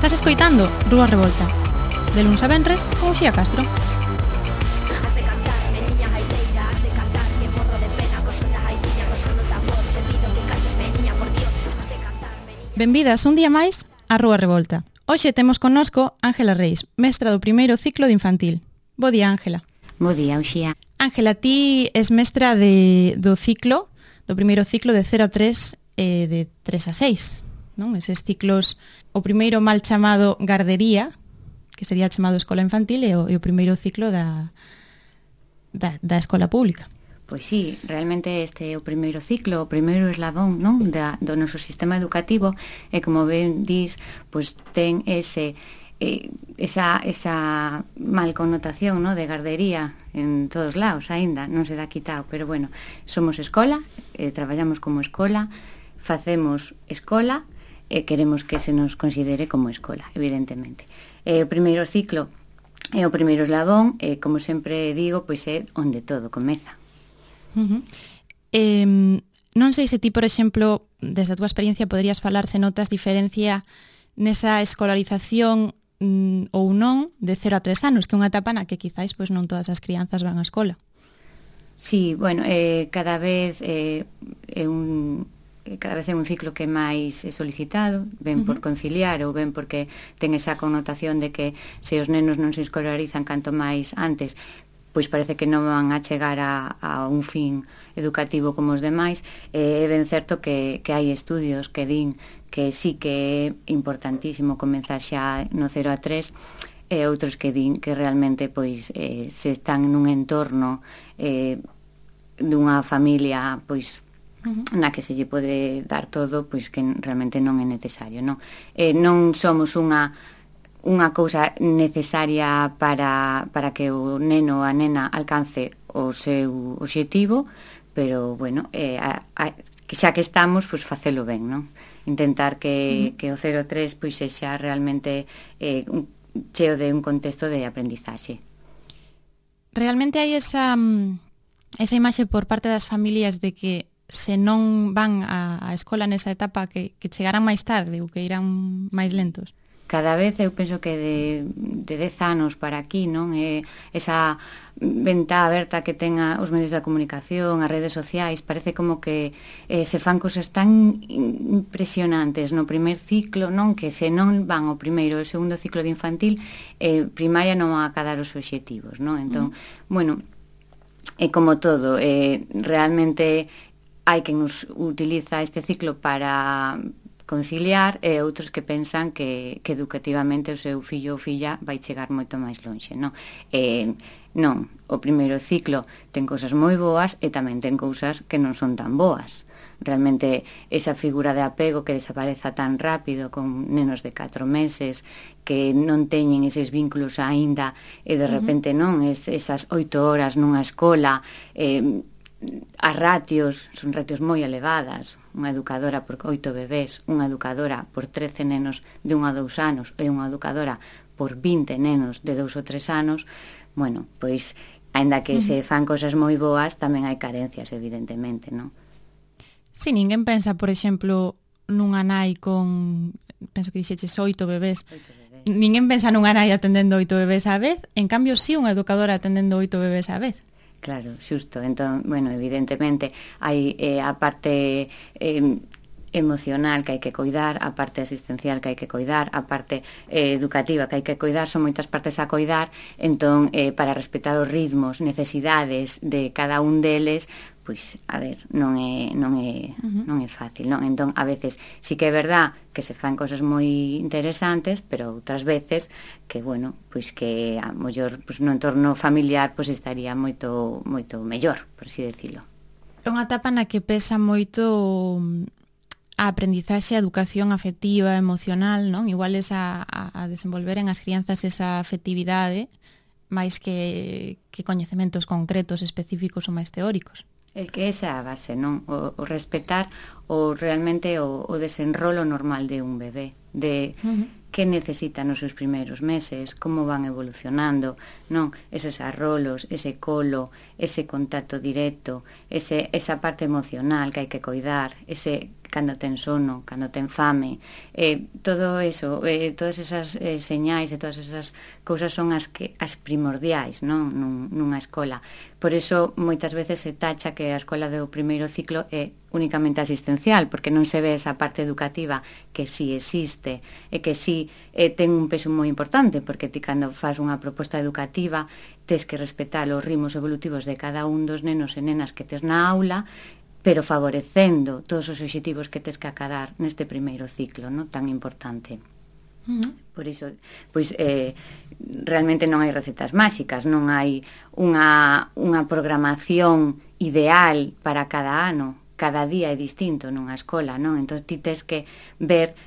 Estás escoitando Rúa Revolta, de luns a venres con Uxía Castro. Benvidas un día máis a Rúa Revolta. Hoxe temos connosco Ángela Reis, mestra do primeiro ciclo de infantil. Bo día, Ángela. Bo día, Uxía. Ángela, ti es mestra do ciclo, do primeiro ciclo de 0 a 3 e de 3 a 6, non? Eses ciclos, o primeiro mal chamado gardería, que sería chamado escola infantil, e o primeiro ciclo da escola pública. Pois sí, realmente este é o primeiro ciclo, o primeiro eslabón, non, do noso sistema educativo, e como ben dis, pois ten esa mal connotación, non, de gardería en todos lados aínda, non se dá quitado, pero bueno, somos escola, traballamos como escola, facemos escola e queremos que se nos considere como escola, evidentemente. O primeiro ciclo é o primeiro eslabón, e como sempre digo, pois é onde todo comeza. Non sei se ti, por exemplo, desde a túa experiencia poderías falar se notas diferencia nesa escolarización ou non de 0 a 3 anos, que é unha etapa na que quizáis pois non todas as crianzas van á escola. Sí, bueno, cada vez é un ciclo que máis é solicitado, ben por conciliar ou ben porque ten esa connotación de que se os nenos non se escolarizan canto máis antes, pois parece que non van a chegar a un fin educativo como os demais. É ben certo que hai estudios que din que sí que é importantísimo comenzar xa no 0 a 3, e outros que din que realmente pois se están nun entorno dunha familia pois na que se lle pode dar todo, pois que realmente non é necesario, non? Non somos unha cousa necesaria para que o neno ou a nena alcance o seu obxectivo, pero, bueno, xa que estamos, pois facelo ben, non? Intentar que o 0-3 pois sexa realmente cheo de un contexto de aprendizaxe. Realmente hai esa imaxe por parte das familias de que se non van á escola nesa etapa que chegarán máis tarde ou que irán máis lentos? Cada vez eu penso que de 10 anos para aquí, non, esa ventá aberta que ten os medios de comunicación, as redes sociais, parece como que se fan cosas tan impresionantes no primer ciclo, non, que se non van ao primeiro e o segundo ciclo de infantil, primaria non van a cadar os obxectivos, non? Entón, bueno, é como todo, realmente hai quen nos utiliza este ciclo para conciliar, e outros que pensan que educativamente o seu fillo ou filla vai chegar moito máis lonxe, non? Non, o primeiro ciclo ten cousas moi boas e tamén ten cousas que non son tan boas. Realmente esa figura de apego que desapareza tan rápido con nenos de 4 meses que non teñen eses vínculos aínda, e de repente non, esas 8 horas nunha escola, as ratios son ratios moi elevadas, unha educadora por 8 bebés, unha educadora por 13 nenos de 1 a 2 anos e unha educadora por 20 nenos de 2 ou 3 anos. Bueno, pois, aínda que se fan cosas moi boas, tamén hai carencias, evidentemente, non? Si, ninguén pensa, por exemplo, nunha nai con, penso que dixeches 8 bebés. Ninguén pensa nunha nai atendendo 8 bebés á vez, en cambio si unha educadora atendendo 8 bebés á vez. Claro, xusto. Entón, bueno, evidentemente hai a parte emocional que hai que coidar, a parte asistencial que hai que coidar, a parte educativa que hai que coidar, son moitas partes a coidar. Entón, para respetar os ritmos, necesidades de cada un deles, pois, a ver, non é fácil, non? Entón, a veces sí que é verdad que se fan cosas moi interesantes, pero outras veces que, bueno, pois que a mellor pois no entorno familiar pois estaría moito mellor, por así decirlo. É unha etapa na que pesa moito a aprendizaxe, a educación afectiva, emocional, non? Igual es a desenvolver en as crianzas esa afectividade máis que coñecementos concretos, específicos ou máis teóricos. É que esa é a base, non? O respetar realmente o desenrolo normal de un bebé, de que necesitan nos seus primeiros meses, como van evolucionando, non? Eses arrolos, ese colo, ese contacto directo, esa parte emocional que hai que coidar, cando ten sono, cando ten fame, todo eso, todas esas señais e todas esas cousas son as primordiais, non? Nunha escola. Por iso moitas veces se tacha que a escola do primeiro ciclo é únicamente asistencial, porque non se ve esa parte educativa que sí existe e que sí ten un peso moi importante, porque ti cando fas unha proposta educativa tes que respetar os ritmos evolutivos de cada un dos nenos e nenas que tes na aula, pero favorecendo todos os obxectivos que tes que acadar neste primeiro ciclo, non? Tan importante. Por iso, pois, realmente non hai recetas máxicas, non hai unha programación ideal para cada ano, cada día é distinto nunha escola, non? Entón ti tes que ver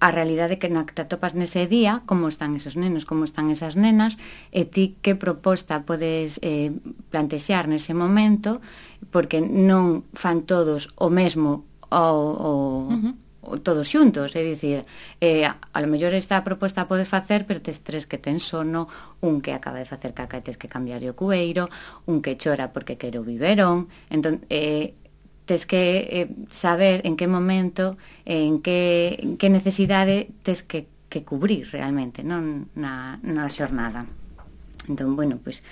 a realidade que na que te atopas nese día, como están esos nenos, como están esas nenas, e ti que proposta podes plantexar nese momento, porque non fan todos o mesmo ou todos xuntos, é dicir, a lo mellor esta proposta podes facer, pero tes tres que ten sono, un que acaba de facer caca e tes que cambiar o cueiro, un que chora porque quere o biberón, entón tes que saber en que momento, en que necesidade tes que cubrir realmente, non na xornada. Entón, bueno, pois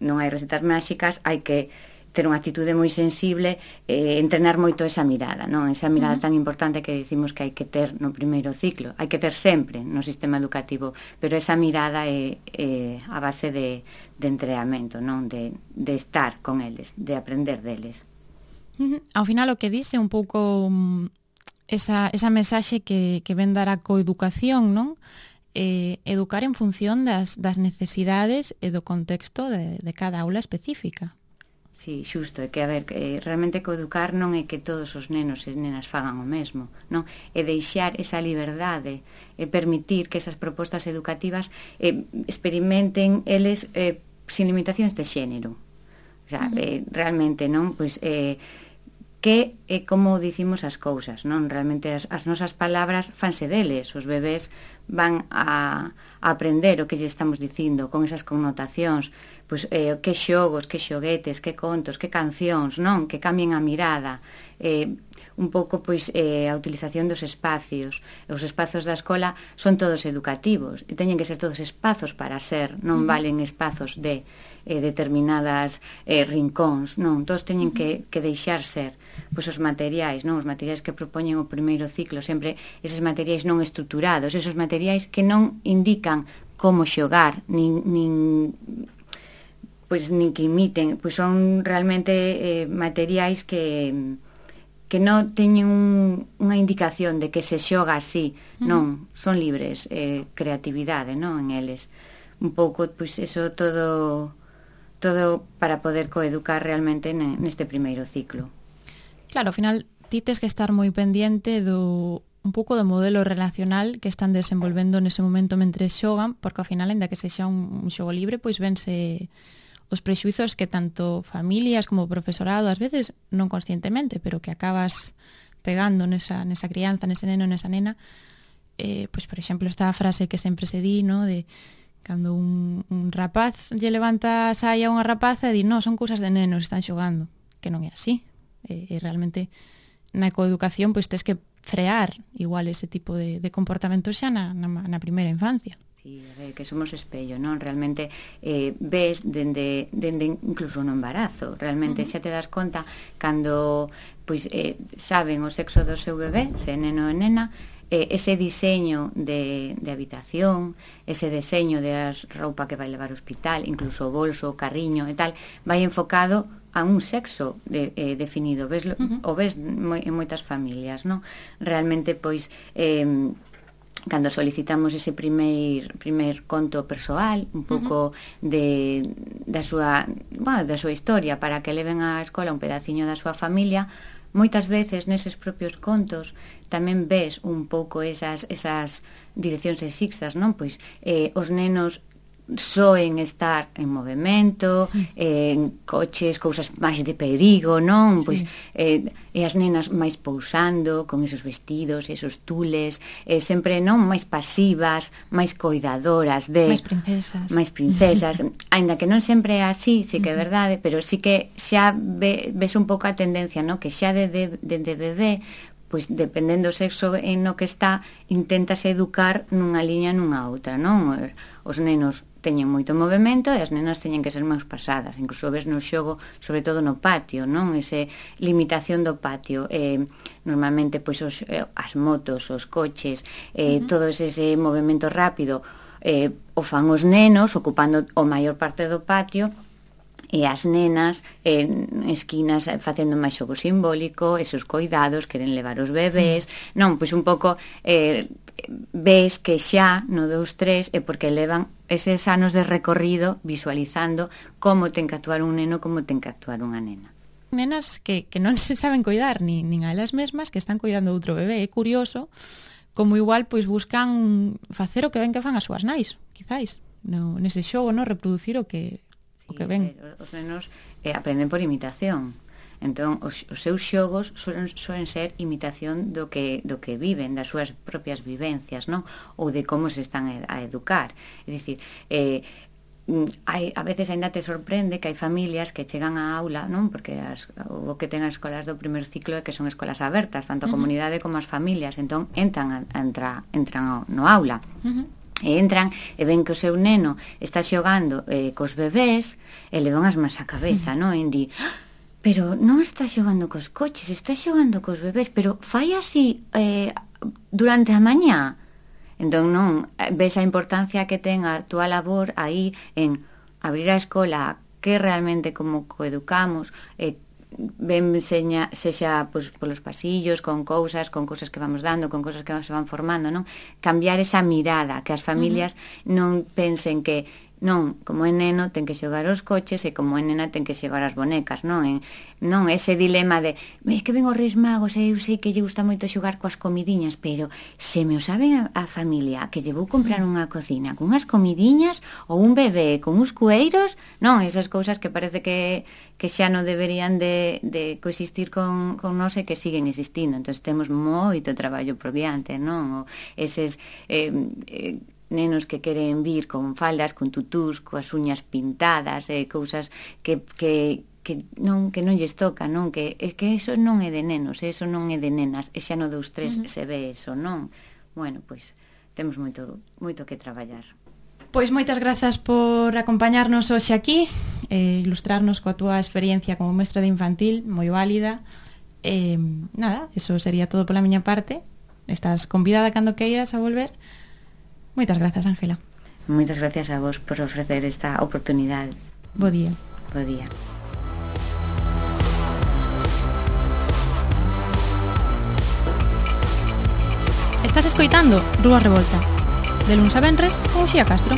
non hai recetas máxicas, hai que ter unha actitude moi sensible, entrenar moito esa mirada, non? Esa mirada tan importante que dicimos que hai que ter no primeiro ciclo, hai que ter sempre no sistema educativo, pero esa mirada é a base de entrenamento, non? De estar con eles, de aprender deles. Ao final o que dice un pouco esa mensaxe que ven dar a coeducación, non? Educar en función das necesidades e do contexto de cada aula específica. Sí, xusto, é que, a ver, realmente coeducar non é que todos os nenos e nenas fagan o mesmo, non? É deixar esa liberdade, e permitir que esas propostas educativas experimenten eles sin limitacións de xénero. O sea, realmente, non? Pois que é como dicimos as cousas, non? Realmente as nosas palabras fanse deles, os bebés van a aprender o que lle estamos dicindo con esas connotacións, pois que xogos, que xoguetes, que contos, que cancións, non? Que cambien a mirada, un pouco pois a utilización dos espacios. Os espazos da escola son todos educativos e teñen que ser todos espazos para ser, non valen espazos de determinadas rincóns, non, todos teñen que deixar ser. Pois os materiais, non, os materiais que propoñen o primeiro ciclo, sempre eses materiais non estruturados, esos materiais que non indican como xogar, nin que imiten, pois son realmente materiais que non teñen unha indicación de que se xoga así, non, son libres, creatividade, non, en eles. Un pouco, pois, eso todo para poder coeducar realmente neste primeiro ciclo. Claro, ao final ti tes que estar moi pendiente un pouco do modelo relacional que están desenvolvendo nese momento mentre xogan, porque ao final, ainda que sexa un xogo libre, pois vense os prexuizos que tanto familias como profesorado, ás veces non conscientemente, pero que acabas pegando nesa crianza, nese neno, nesa nena. Pois, por exemplo, esta frase que sempre se di, no, de cando un rapaz lle levanta a saia a unha rapaza e di, no, son cousas de nenos, están xogando, que non é así. E realmente na coeducación pois tes que frear igual ese tipo de comportamentos xa na primeira infancia. Sí, a ver, que somos espello, non? Realmente ves dende incluso no embarazo, realmente xa te das conta cando pois saben o sexo do seu bebé, se é neno ou nena, ese diseño de habitación, ese diseño de roupa que vai levar ao hospital, incluso o bolso, o carriño e tal, vai enfocado a un sexo definido, veslo, o ves en moitas familias, non? Realmente, pois, cando solicitamos ese primer conto persoal, un pouco da súa historia, para que leven á escola un pedaciño da súa familia, moitas veces neses propios contos tamén ves un pouco esas direccións sexistas, non? Pois os nenos só en estar en movimento, en coches, cousas máis de perigo, non? Sí. Pois e as nenas máis pousando, con esos vestidos, esos tules, sempre non máis pasivas, máis coidadoras de máis princesas. Aínda que non sempre é así, sí que é verdade, pero sí que xa ves un pouco a tendencia, non? Que xa de bebé, pois dependendo do sexo en no que está, inténtase educar nunha liña nunha outra, non? Os nenos teñen moito movimento e as nenas teñen que ser máis pasadas, incluso ves no xogo, sobre todo no patio, non? Ese limitación do patio, normalmente pois as motos, os coches, todo ese movimento rápido, o fan os nenos ocupando o maior parte do patio, e as nenas en esquinas facendo máis xogo simbólico, esos coidados, queren levar os bebés, non, pois un pouco ves que xa no 2-3 é porque levan eses anos de recorrido visualizando como ten que actuar un neno, como ten que actuar unha nena. Nenas que non se saben coidar nin a elas mesmas, que están coidando outro bebé. É curioso como igual pois buscan facer o que ven que fan as súas nais, quizáis, nese xogo, no reproducir o que ven. Os nenos aprenden por imitación. Entón, os seus xogos suelen ser imitación do que viven, das súas propias vivencias, non? Ou de como se están a educar. É dicir, a veces ainda te sorprende que hai familias que chegan á aula, non? Porque o que ten as escolas do primer ciclo é que son escolas abertas, tanto a comunidade como as familias. Entón, entran no aula. E entran e ven que o seu neno está xogando cos bebés e levan as mans á cabeza, non? E di, pero non está xogando cos coches, está xogando cos bebés, pero fai así durante a mañá. Entón non, ves a importancia que ten a túa labor aí en abrir a escola, que realmente como coeducamos, ben sexa pois, polos pasillos, con cousas que vamos dando, con cousas que se van formando, non? Cambiar esa mirada, que as familias non pensen que non, como é neno ten que xogar os coches e como é nena ten que xogar as bonecas, non? Non ese dilema de é que ven os Reis Magos e eu sei que lle gusta moito xogar coas comidiñas, pero se me o saben a familia que lle vou comprar unha cocina con unhas comidiñas ou un bebé con uns cueiros, non? Esas cousas que parece que xa non deberían de coexistir con nós e que siguen existindo. Entón temos moito traballo por diante, non? Eses nenos que queren vir con faldas, con tutús, coas uñas pintadas, cousas que non lles toca, non? Que eso non é de nenos, eso non é de nenas, e xa no 2-3 se ve eso, non? Bueno, pois temos moito que traballar. Pois moitas grazas por acompañarnos hoxe aquí, ilustrarnos coa túa experiencia como mestra de infantil, moi válida. Nada, eso sería todo pola miña parte. Estás convidada cando queiras a volver. Moitas grazas, Ángela. Moitas gracias a vos por ofrecer esta oportunidade. Bo día. Bo día. Estás escoitando Rúa Revolta, de luns a venres con Uxía Castro.